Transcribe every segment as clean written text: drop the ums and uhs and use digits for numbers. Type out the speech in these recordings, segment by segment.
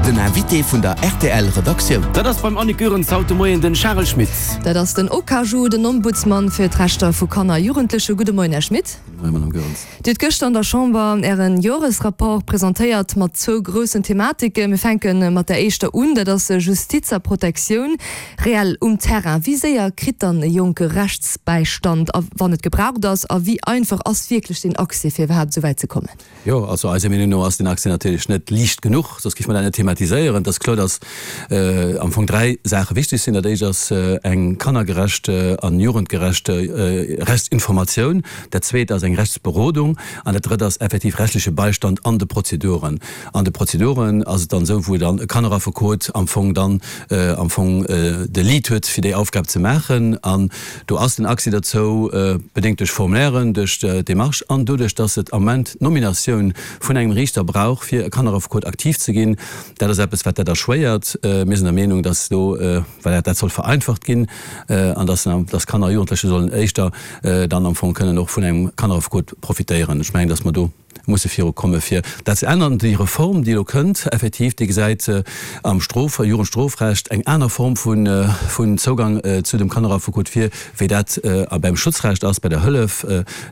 Den Invité vun der rtl Redaktioun. Dat ass beim Annick Goerens haut de Moien den Charel Schmit. Dat ass den Okaju, den Ombudsmann fir d'Rechter vu Kanner a Jugendleche. Gudde Moien, Här Schmit. Gudde Moien, Madame Goerens. Dir hutt gëschter an der Chamber Ären Joresrapport presentéiert mat zwou groussen Thematiken. Mir fänke mat der éischter un, dat ass Justiz a Protektioun reell um Terrain. Wéi séier kritt dann e Jonke Rechtsbäistand, a wann et gebraucht ass? A wéi einfach ass wierklech deen Accès, fir iwwerhaapt esou wäit ze kommen? Jo, also eiser Meenung no ass den Accès natierlech net liicht genuch, soss géife mer dat net thematiséieren. Et ass kloer, dass am Fong 3 Saache wichteg sinn. Dat éischt ass eng kannergerecht an jugendgerecht Rechtsinformatioun. Dat zweet ass eng Rechtsberodung. An dat drëtt ass effektiv rechtliche Beistand an de Prozeduren. An de Prozeduren ass et dann esou, wou dann e Kanneraffekot am Fong dann am Fong de Lead huet, fir déi Aufgab ze maachen. An do ass den Accès derzou bedéngt duerch Formulairen, duerch d'Demarche an doduerch, dass et am Moment d'Nominatioun vun engem Riichter brauch, fir e Kanneraffekot aktiv ze ginn. Dat ass eppes, wat dat erschwéiert. Mir sinn der Meenung, dass do, voilà, dat soll vereinfacht ginn an dass, dass Kanner a Jugendleche sollen éischter dann am Fong kënnen och vun engem Kanneraffekot profitéieren. Ech mengen, dass mer do musse virukomme fir dat ze ännern. Déi Reform, déi elo kënnt, effektiv, déi gesäit am Strof-, Jugendstrofrecht eng aner Form vun Zougang zu dem Kanneraffekot vir, wéi dat beim Schutzrecht ass, bei der Hëllef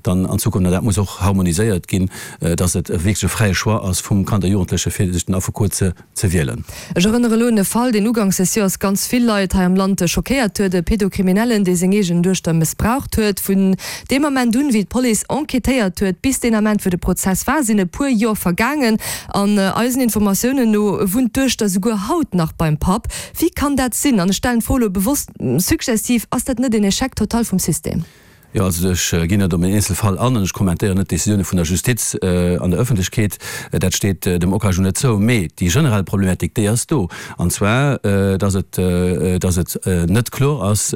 dann an Zukunft. An dat muss och harmoniséiert ginn, dass et wierklech e fräie Choix ass vum Kand a Jugendleche fir sech den Affekot ze ze wielen. Ech erënnere elo un e Fall, deen uganks des Joers ganz vill Leit hei am Land schockéiert huet, e Pédokriminellen, dee seng eegen Duechter mëssbraucht huet. Vun deem Ament un, wéi d'Police enquêtéiert huet, bis deen Ament, wou de Prozess war, sinn e puer Jor vergaangen. An eisen Informatiounen no wunnt d'Duechter souguer haut nach beim Papp. Wéi kann dat sinn? An ech stellen d'Fro elo bewosst suggestiv, Ass dat net en Échec total vum System? Jo, also ech ginn net op en Eenzelfall an an ech kommentéieren net d'Decisioune vun der Justiz an der Ëffentlechkeet. Dat steet dem OCAJU net zou. Mee déi generell Problematik, déi ass do. An zwar, datt et, datt et net kloer ass,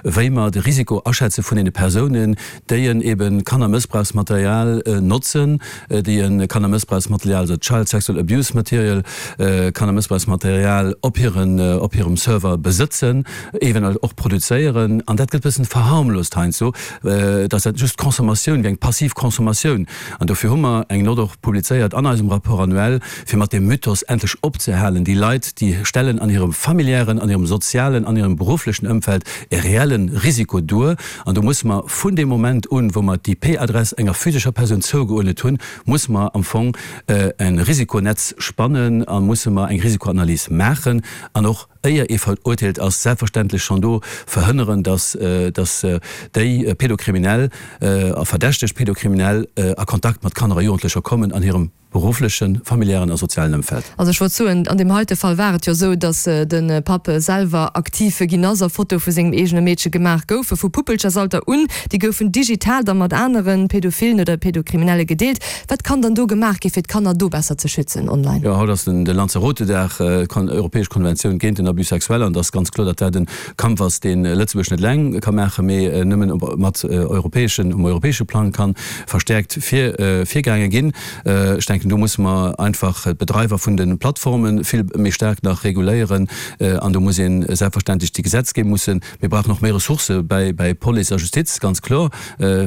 wéi mer de Risiko aschätze vun deene Persounen, déi en ebe Kannermëssbrauchsmaterial notzen, déi e Kannermëssbrauchsmaterial, also Child Sexual Abuse Material, Kannermëssbrauchsmaterial op hiren, op hirem Server besëtzen. Eventuell och produzéieren, an dat gëtt e bëssen verharmlost heiansdo, dass dat just Consommatioun wier, eng passiv Consommatioun. An dofir hu mer eng Note och publizéiert an eisem Rapport annuel, fir mat deem Mythos endlech opzehalen. Déi Leit, déi stellen an hirem familiären, an hirem sozialen, an hirem berufflechen Ëmfeld e reelle Risiko duer. An do musse mer vun deem Moment un, wou mer d'IP-Adress enger physescher Persoun zougeuerdnet hunn, musse mer am Fong e Risikonetz spannen a musse mer eng Risikoanalys maachen an och, éier ee verurteelt ass, selbstverständlech schonn do verhënneren, dass dass déi Pédokriminell a verdächteg Pédokriminell a Kontakt mat Kanner a Jugendlecher kommen an hirem berufflechen, familiären a sozialen Ëmfeld. Also ech wollt soen, an deem heite Fall war et jo esou, dass de Papp selwer aktiv ginn ass a Fotoe vu sengem eegene Meedche gemaach goufe vu Puppelchersalter un. Déi goufen digital da mat anere Pädophilen oder Pädokriminelle gedeelt. Wat kann dann do gemaach gi fir d'Kanner do besser ze schützen online? Jo, haut ass den Lanzarote-Dag, europäesch Konventioun géint den Abus sexuel, an et ass ganz kloer, datt dat e Kampf ass, dee Lëtzebuerg net eleng ka maachen, mee nëmmen mat europäeschen, um europäesche Plang ka verstäerkt virgaange ginn. Ech denken, do musse mer einfach d'Bedreiwer vun de Plattforme vill méi staark nach reguléieren an do muss ee selbstverständlech déi Gesetzgebung mussen Mir brauchen och méi Ressourcë bäi Police a Justiz, ganz kloer,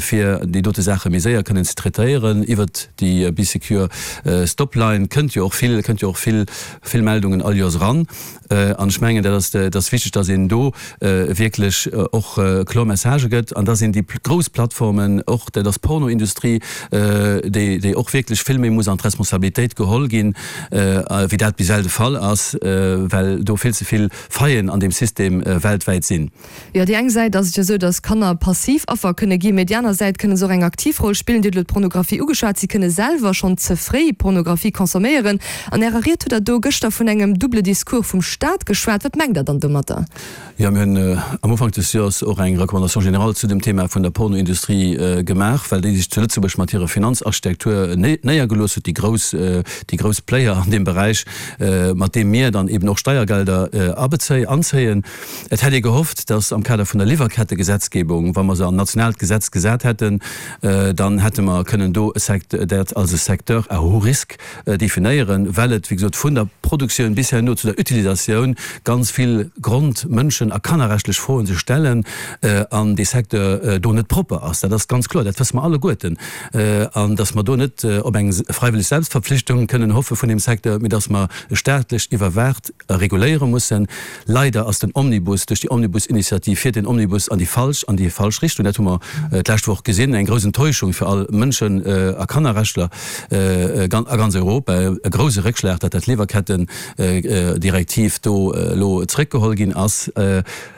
fir déi dote Saache méi séier kënnen ze traitéieren. Iwwert déi Bee Secure Stop Line kënnt jo och vill, kënnt jo och vill, vill Meldungen all Joers eran. An ech mengen, dat ass, dat ass wichteg, dass een do wierklech och kloer Messagë gëtt an dass een déi grouss Plattformen och, dat ass d'Pornoindustrie, déi, déi och wierklech vill méi muss an d'Responsabilitéit geholl ginn, wéi dat bis ewell de Fall ass, well do vill ze vill Faillen an deem System weltwäit sinn. Jo, déi eng Säit ass et jo esou, datt Kanner passiv Affer kënne ginn, mee déi aner Säit kënne se och eng aktiv Roll spillen. Dir hutt elo d'Pornografie ugeschwat. Si kënne selwer schonn ze fréi Pornografie consomméieren. An Ärer Ried hutt Der do gëschter vun engem double Discours vum Staat geschwat. Wat mengt Der dann domatter? Jo, mir hunn am Ufank des Joers och eng Recommandation générale zu dem Thema vun der Pornoindustrie gemaach, well déi sech zu Lëtzebuerg mat hirer Finanzarchitektur néiergelooss huet, déi grouss, déi grouss Player an deem Beräich, mat deem mir dann eben och Steiergelder abezéien, anzéien. Et hätt ee gehofft, dass am Kader vun der Liwwerkettegesetzgebung, wa mer se an nationaalt Gesetz gesat hätten, dann hätte mer kënnen do e Sect, dat als e Secteur à haut risque definéieren, well et, wéi gesot, vun der Produktioun bis herno zu der Utilisatioun ganz vill Grond-, Mënschen a kannerrechtlech Froen sech stellen an dee Secteur do net propper ass. Dat ass ganz kloer, dat wësse mer alleguerten. An dass mer do net op eng fräiwëlleg. fräiwëlleg Selbstverpflichtung kënnen hoffe vun deem Secteur, mee dass mer e staatlech iwwerwaacht a reguléiere mussen. Leider ass den Omnibus duerch déi Omnibus-Initiativ fiert den Omnibus an déi falsch an déi falsch Richtung. Dat hu mer d'lescht Woch gesinn. Eng grouss Enttäuschung fir all Mënschen a Kannerrechtler a ganz Europa. E grouse Réckschlag, datt dat Liwwerketten-Direktiv do elo zréckgeholl ginn ass.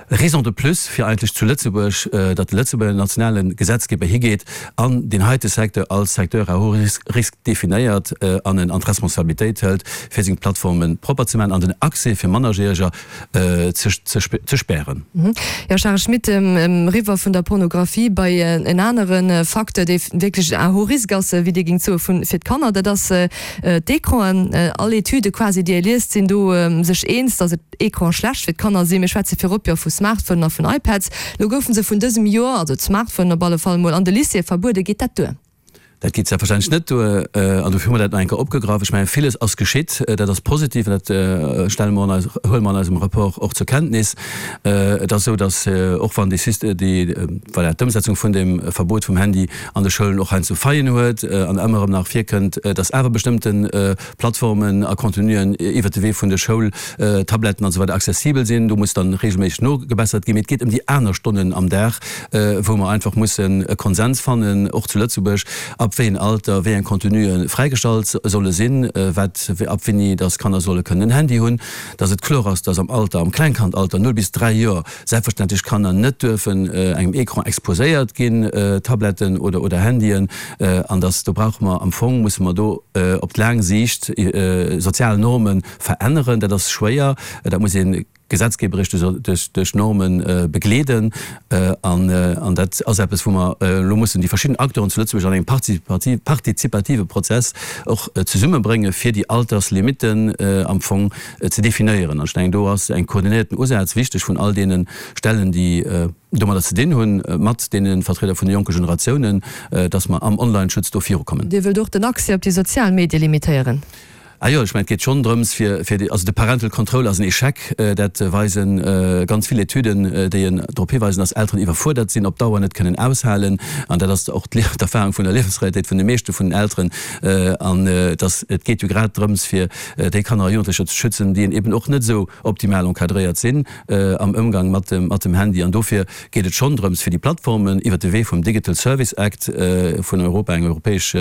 Raison de plus fir eigentlech zu Lëtzebuerg, datt de Lëtzebuerger nationale Gesetzgeber higeet an deen heite Secteur als Secteur à haut risque definéiert an en an d'Responsabilitéit hëlt, fir seng Plattforme propper ze maachen an den Accès fir Mannerjäreger ze spären. Jo, Charel Schmit, eriwwer vun der Pornografie bei en anere Facteur, dee wierklech à haut risque ass, wéi Dir géingt soen, fir d'Kanner, dat ass d'Ecranen. All Etüde quasi, déi ee liest, sinn do sech eens, datt et Ecran schlecht fir d'Kanner sinn. Mir schwätze virop jo vu Smartphonen a vun iPads. Lo goufe se vun dësem Joer, also d'Smartphonen op alle Fall mol, an de Lycéeë verbueden. Geet dat duer? Dat geet selbstverständlech net duer an dofir hu mer dat nach eng Kéier opgegraff. Ech mengen, villes ass geschitt, dat ass positiv an dat stelle mer an eis, huele mer an eisem Rapport och zur Kenntnis. Et ass esou, datt och wann déi Syst-, déi, voilà, d'Ëmsetzung vun deem Verbot vum Handy an de Schoulen och heiansdo Faillen huet an ëmmer erëm nach virkënnt, datt awer bestëmmten Plattformen a Contenuen iwwert de Wee vun de Schoultabletten an esou weider accessibel sinn. Do muss dann regelméisseg nogebessert ginn. Mee et geet ëm déi aner Stonnen am Dag, wou mer einfach mussen e Konsens fannen, och zu Lëtzebuerg, ab wéi en Alter wéi eng Contenue fräigestallt solle sinn, wat, ab wéini dass Kanner solle kënnen en Handy hunn, dass et kloer ass, dass am Alter, am Klengkandalter, 0 bis 3 Joer, selbstverständlech Kanner net duerfen engem Ecran exposéiert ginn, Tabletten oder oder Handyen, an dass do brauche mer am Fong, musse mer do op d'laang Siicht sozial Norme veränneren. Dat ass schwéier, dat muss ee gesetzgeberisch duerch duerch Norme begleeden, an an dat ass eppes wou mer elo mussen déi verschidden Acteuren zu Lëtzebuerg an engem partizipative Prozess och zesummebrénge fir déi Alterslimitten am Fong ze definéieren. An ech mengen, do ass eng koordinéierten Usaz wichteg vun all deene Stellen, déi domadder ze dinn hunn, mat deene Vertrieder vun de jonke Generatiounen, dass mer am Online-Schutz do virukommen. Dir wëllt och den Accès op déi sozial Medie limitéieren? Ah jo, ech mengen, et geet schonn drëms, fir, fir déi, also de Parental Control ass en Echec, dat weise ganz vill Etüden, déi en drop hiweisen, dass Elteren iwwerfuerdert sinn, op Dauer net kënnen aushalen. An dat ass och d'Erfahrung vun der Liewensrealitéit vun de meeschte vun den Elteren. An dass, et geet jo grad drëms, fir déi Kanner a Jugendlecher ze schützen, déi eben och net esou optimal encadréiert sinn am Ëmgang mat dem, mat dem Handy. An dofir geet et schonn drëms, fir déi Plattformen iwwert de Wee vum Digital Service Act vun Europa, eng europäesch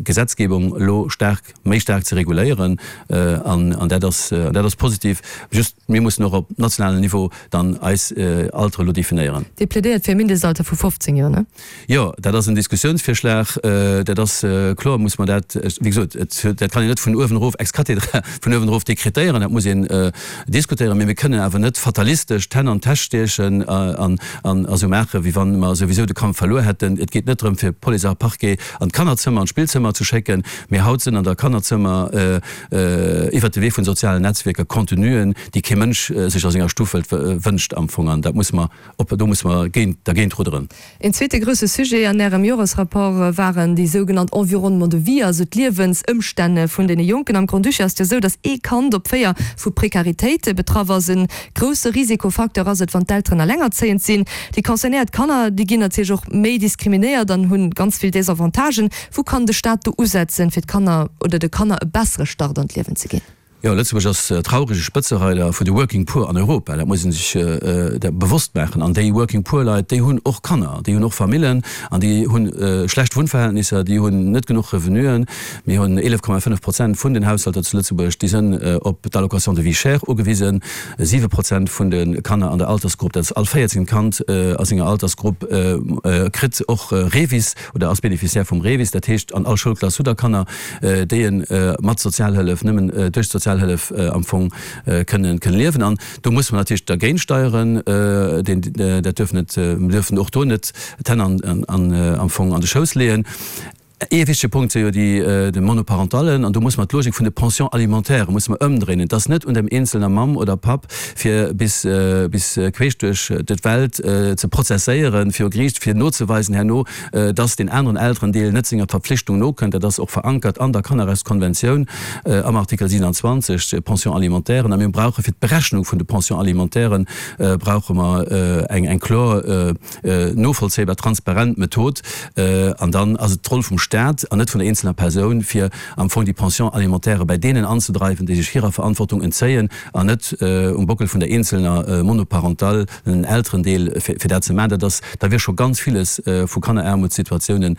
Gesetzgebung, elo staark, méi staark ze reguléieren. An, an dat ass, an dat ass positiv. Just, mir mussen och op nationalem Niveau dann eis Altere elo definéieren. Dir plädéiert fir e Mindestalter vu 15 Joer, ne? Jo, dat ass en Diskussiounsvirschlag. Dat ass kloer, muss mer dat, wéi gesot, et, dat kann een net vun uewen erof ex cathedra, vun uewen erof dekretéieren, dat muss een diskutéieren. Mee mir kënnen awer net fatalistesch d'Hänn an d'Täsch stiechen an esou maachen, wéi wa mer souwisou de Kampf verluer hätten. Et geet net drëm, fir Police a Parquet an d'Kannerzëmmer, an d'Spillzëmmer ze schécken, mee haut sinn an der Kannerzëmmer iwwert de Wee vun sozialen Netzwierker Contenuen, déi kee Mënsch sech a senger Stuff wëllt, wënscht am Fong. An dat muss mer Op, do musse mer géint, dergéint rudderen. Een zweete grousse Sujet an Ärem Joresrapport waren déi sougenannt Environnements de vie, also d'Liewensëmstänn vun deene Jonken. Am Grand-Duché ass et jo esou, datt ee Kand op 4 vu Prekaritéit betraff ass. E grousse Risikofacteur ass et, wann d'Elteren alengerzéiend sinn. Déi concernéiert Kanner, déi ginn natierlech och méi diskriminéiert an hu ganz vill Desavantagen. Wou kann de Staat do usetzen, fir d'Kanner oder de Kanner e bessere Start an d'Liewen ze ginn? Jo, Lëtzebuerg ass traurege Spëtzereider vun de Working Poor an Europa. Dat muss ee sech bewosst maachen. An déi Working Poor Leit, déi hunn och Kanner, déi hunn och Famillen an déi hu schlecht Wunnverhältnisser, déi hunn net genuch Revenuen. Mir hunn 11,5 Prozent vun den Haushalter zu Lëtzebuerg, déi sënn op d'Allocation de vie chère ugewisen. 7 Prozent vun de Kanner an der Altersgrupp, dat ass all véierzéngt Kand a senger Altersgrupp, kritt och REVIS oder ass Bénéficiaire vum REVIS. Dat heescht, an all Schoulklass hutt Der Kanner, déi e mat Sozialhëllef, nëmmen duerch d'Sozialhëllef am Fong kënnen liewen. An do musse mer natierlech dergéint steieren. Deen, dat duerf net, mir duerfen och do net d'Hänn an, an, am Fong an de Schouss leeën. Ee wichtege Punkt si jo déi, de Monoparentallen. An do musse mer d'Logik vun de Pensions alimentaires musse mer ëmdréinen. Et ass net un dem eenzelner Mamm oder Papp, fir bis, bis queesch duerch d'Welt ze prozesséieren viru Geriicht, fir nozeweisen herno, dass deen aneren Elterendeel net senger Verpflichtung nokënnt. Dat ass och verankert an der Kannerrechtskonventioun am Artikel 27, d'Pension alimentaire. A mir brauche fir d'Berechnung vun de Pensions alimentairen brauche mer eng eng kloer, novollzéibar, transparent Method. An dann ass et d'Roll vum. Staat an net vun der eenzelner Persoun, fir am Fong déi Pension alimentaire bäi deenen anzedreiwen, déi sech hirer Verantwortung entzéien, an net um Bockel vun der eenzelner monoparentalen Elterendeel, fir dat ze maachen. Dat ass, da wier scho ganz villes vu Kanneraarmutssituatiounen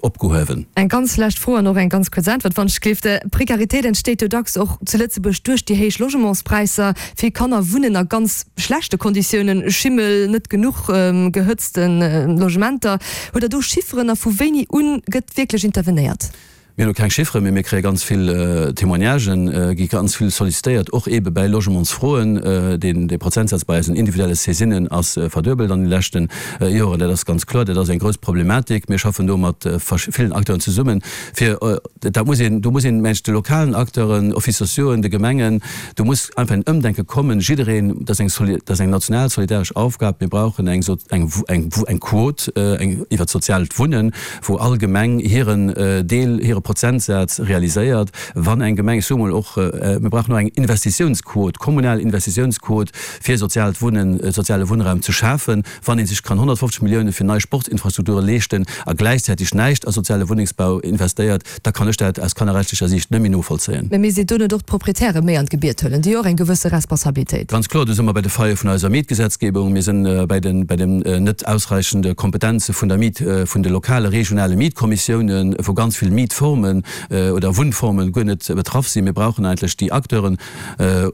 opgehuewen. Eng ganz lescht Fro an och eng ganz kuerz Äntwert, wann ech gleef. D'Prekaritéit entsteet jo dacks och zu Lëtzebuerg duerch déi héich Logementspräisser. Vill Kanner wunnen a ganz schlechte Konditiounen, Schimmel, net genuch gehëtzte Logementer. Hutt Der do Chifferen a vu wéini un gëtt wierklech intervenéiert? Mir hunn elo keng Chifferen, mee mir kréie ganz vill Témoignagen, gi ganz vill sollicitéiert, och eebe bäi Logementsfroen. Deen dee Prozentsaz bei eisen individuelle Saisinen ass verduebelt an de leschte Joren. Dat ass ganz kloer, dat ass eng grouss Problematik. Mir schaffen do mat villen Acteuren zesummen, fir, dat muss een, do muss een, mengen ech, de lokalen Acteuren, Offices sociauxen, de Gemengen, do muss einfach en Ëmdenke kommen. Jiddereen, dat ass eng, dat ass eng national solidaresch Aufgab. Mir brauchen eng, eng, eng, eng Quot, eng iwwert d'soziaalt Wunnen, wou all Gemeng hiren Deel, hire Prozentsaz realiséiert. Wann eng Gemeng, ech soe mol och, mir brauchen och eng Investitiounsquot, kommunal Investitiounsquot, fir soziaalt Wunnen, soziale Wunnraum ze schafen. Wann ee sech kann 150 Millioune fir nei Sportsinfrastrukture leeschten a gläichzäiteg näischt a soziale Wunnengsbau investéiert, da kann ech dat aus kannerrechtlecher Siicht net méi novollzéien. Mä misst een do net och d'Proprietäre méi an d'Gebiet huelen? Déi hu jo och eng gewësse Responsabilitéit. Ganz kloer, do si mer bei de Faille vun eiser Mietgesetzgebung. Mir si bei den, bei den net ausreichende Kompetenze vun der Miet, vun de lokale, regionale Mietkommissiounen, wou ganz vill Mietformen oder Wunnformen guer net betraff sinn. Mir brauchen eigentlech déi Acteuren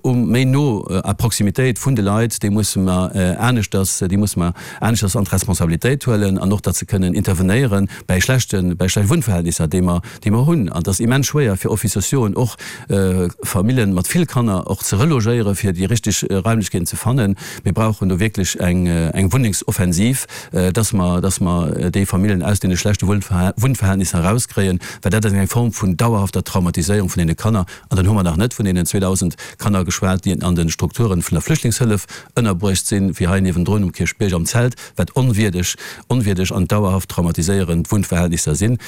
um, méi no à proximitéit vun de Leit. Déi musse mer aneschters, déi musse mer aneschters an d'Responsabilitéit huelen an och, datt se kënnen intervenéieren bäi schlechten, bäi schlechte Wunnverhältnisser, déi mer, déi mer hunn. An et ass immens schwéier fir Offices sociauxen och Famillen mat vill Kanner och ze relogéieren, fir déi richteg Raimlechkeeten ze fannen. Mir brauchen do wierklech eng, eng Wunnengsoffensiv, dass mer, dass mer déi Famillen aus deene schlechte Wunnverhältnisser erauskréien, well dat ass eng Form vun dauerhafter Traumatiséierung vun deene Kanner. An dann hu mer nach net vun deenen 2.000 Kanner geschwat, déi an de Strukturen vun der Flüchtlingshëllef ënnerbruecht sinn, wéi hei niewendrun um Kierchbierg am Zelt, wat onwierdeg, onwierdeg an dauerhaft traumatiséierend Wunnverhältnisser sinn,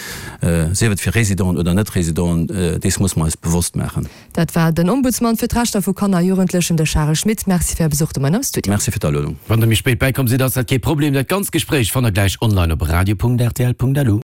sief et fir Résidenten oder Net-Résidenten, dees musse mer eis bewosst maachen. Dat war den Ombudsman fir d'Rechter vu Kanner a Jugendlechen, de Charel Schmit. Merci fir Är Besuch de Moien am Studio. Merci fir d'Aluedung. Wann der méi spéit bäikomm sidd, ass dat kee Problem. Dat ganzt Gespréich fannt der gläich online op radio.rtl.lu.